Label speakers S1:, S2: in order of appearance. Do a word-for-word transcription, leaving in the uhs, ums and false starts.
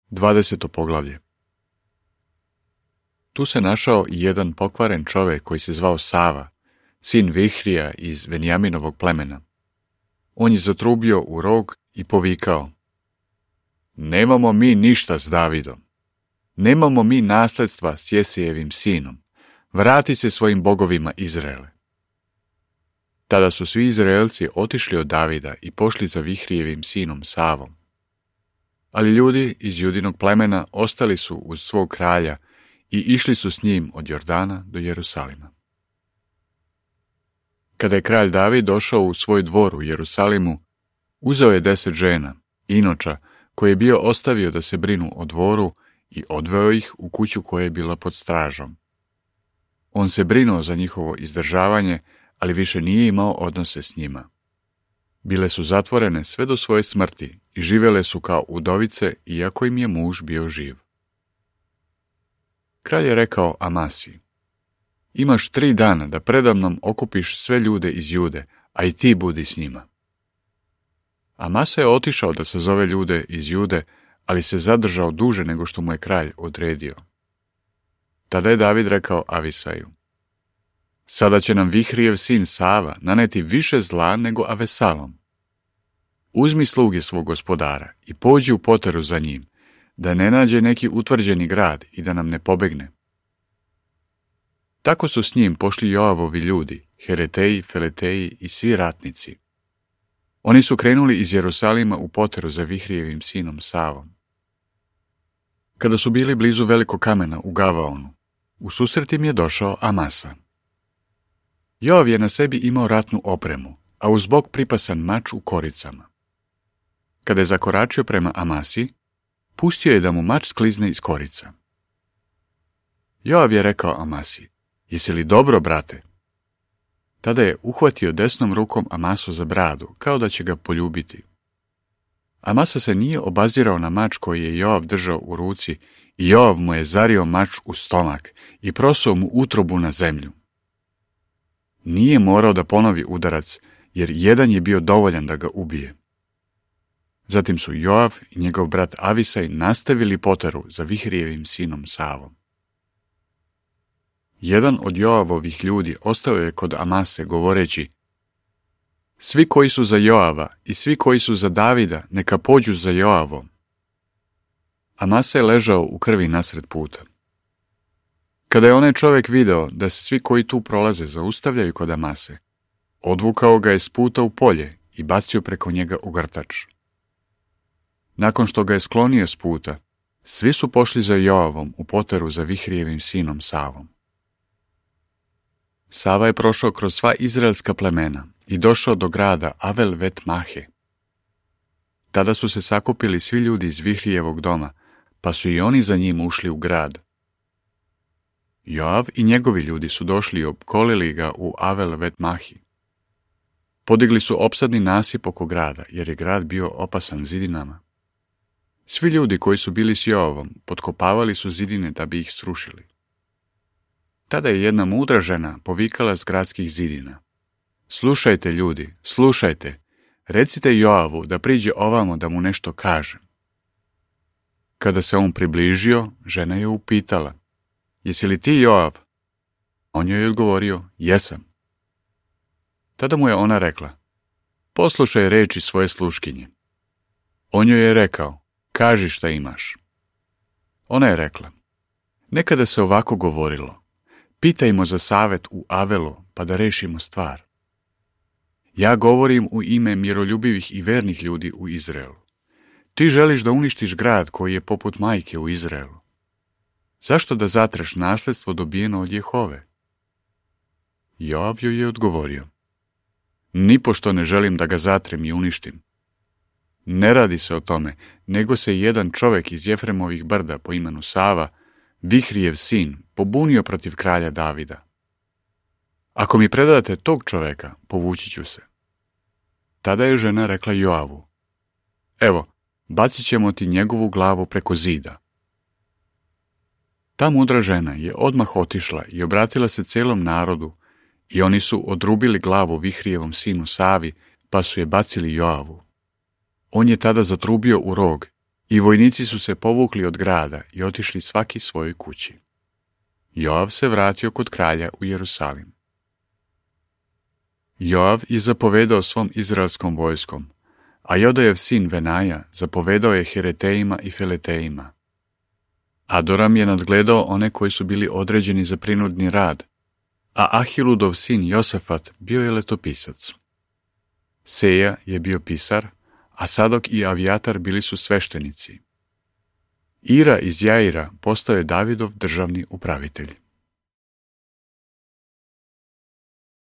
S1: Dvadeseto poglavlje. Tu se našao i jedan pokvaren čovjek koji se zvao Sava, sin Vihrija iz Venjaminovog plemena. On je zatrubio u rog i povikao: Nemamo mi ništa s Davidom. Nemamo mi nasljedstva s Jesejevim sinom. Vrati se svojim bogovima Izraele. Tada su svi Izraelci otišli od Davida i pošli za Vihrijevim sinom Savom. Ali ljudi iz Judinog plemena ostali su uz svog kralja i išli su s njim od Jordana do Jerusalima. Kada je kralj David došao u svoj dvor u Jerusalimu, uzeo je deset žena, inoča, koje je bio ostavio da se brinu o dvoru, i odveo ih u kuću koja je bila pod stražom. On se brinuo za njihovo izdržavanje, ali više nije imao odnose s njima. Bile su zatvorene sve do svoje smrti i živjele su kao udovice, iako im je muž bio živ. Kralj je rekao Amasi: Imaš tri dana da predamnom okupiš sve ljude iz Jude, a i ti budi s njima. Amasa je otišao da sazove ljude iz Jude, ali se zadržao duže nego što mu je kralj odredio. Tada je David rekao Avisaju: Sada će nam Vihrijev sin Sava naneti više zla nego Avesalom. Uzmi sluge svog gospodara i pođi u poteru za njim, da ne nađe neki utvrđeni grad i da nam ne pobegne. Tako su s njim pošli Joavovi ljudi, Hereteji, Feleteji i svi ratnici. Oni su krenuli iz Jerusalima u poteru za Vihrijevim sinom Savom. Kada su bili blizu velikog kamena u Gavaonu, u susret im je došao Amasa. Joav je na sebi imao ratnu opremu, a uz bok pripasan mač u koricama. Kada je zakoračio prema Amasi, pustio je da mu mač sklizne iz korica. Joav je rekao Amasi: Jesi li dobro, brate? Tada je uhvatio desnom rukom Amasu za bradu, kao da će ga poljubiti. Amasa se nije obazirao na mač koji je Joav držao u ruci i Joav mu je zario mač u stomak i prosuo mu utrobu na zemlju. Nije morao da ponovi udarac, jer jedan je bio dovoljan da ga ubije. Zatim su Joav i njegov brat Avisaj nastavili poteru za Vihrijevim sinom Savom. Jedan od Joavovih ljudi ostao je kod Amase govoreći: Svi koji su za Joava i svi koji su za Davida, neka pođu za Joavom. Amasa je ležao u krvi nasred puta. Kada je onaj čovjek video da se svi koji tu prolaze zaustavljaju kod Amase, odvukao ga je s puta u polje i bacio preko njega ugrtač. Nakon što ga je sklonio s puta, svi su pošli za Joavom u poteru za Vihrijevim sinom Savom. Sava je prošao kroz sva izraelska plemena i došao do grada Avel vet Mahe. Tada su se sakupili svi ljudi iz Vihrijevog doma, pa su i oni za njim ušli u grad. Joav i njegovi ljudi su došli i opkolili ga u Avel vet Mahi. Podigli su opsadni nasip oko grada, jer je grad bio opasan zidinama. Svi ljudi koji su bili s Joavom potkopavali su zidine da bi ih srušili. Tada je jedna mudra žena povikala s gradskih zidina: Slušajte, ljudi, slušajte, recite Joavu da priđe ovamo da mu nešto kažem. Kada se on približio, žena je upitala: Jesi li ti Joav? On joj je odgovorio: Jesam. Tada mu je ona rekla: Poslušaj reči svoje sluškinje. On joj je rekao: Kaži šta imaš. Ona je rekla: Nekada se ovako govorilo: Pitajmo za savet u Avelu, pa da rešimo stvar. Ja govorim u ime miroljubivih i vernih ljudi u Izraelu. Ti želiš da uništiš grad koji je poput majke u Izraelu. Zašto da zatreš nasljedstvo dobijeno od Jehove? Joav joj je odgovorio: Nipošto ne želim da ga zatrem i uništim. Ne radi se o tome, nego se jedan čovjek iz Jefremovih brda po imenu Sava, Vihrijev sin, pobunio protiv kralja Davida. Ako mi predate tog čovjeka, povući ću se. Tada je žena rekla Joavu: Evo, bacit ćemo ti njegovu glavu preko zida. Ta mudra žena je odmah otišla i obratila se celom narodu, i oni su odrubili glavu Vihrijevom sinu Savi, pa su je bacili Joavu. On je tada zatrubio u rog I vojnici su se povukli od grada i otišli svaki svojoj kući. Joav se vratio kod kralja u Jerusalim. Joav je zapovedao svom izraelskom vojskom, a Jodajev sin Venaja zapovedao je Heretejima i Feletejima. Adoram je nadgledao one koji su bili određeni za prinudni rad, a Ahiludov sin Josafat bio je letopisac. Seja je bio pisar, a Sadok i Avijatar bili su sveštenici. Ira iz Jaira postao je Davidov državni upravitelj.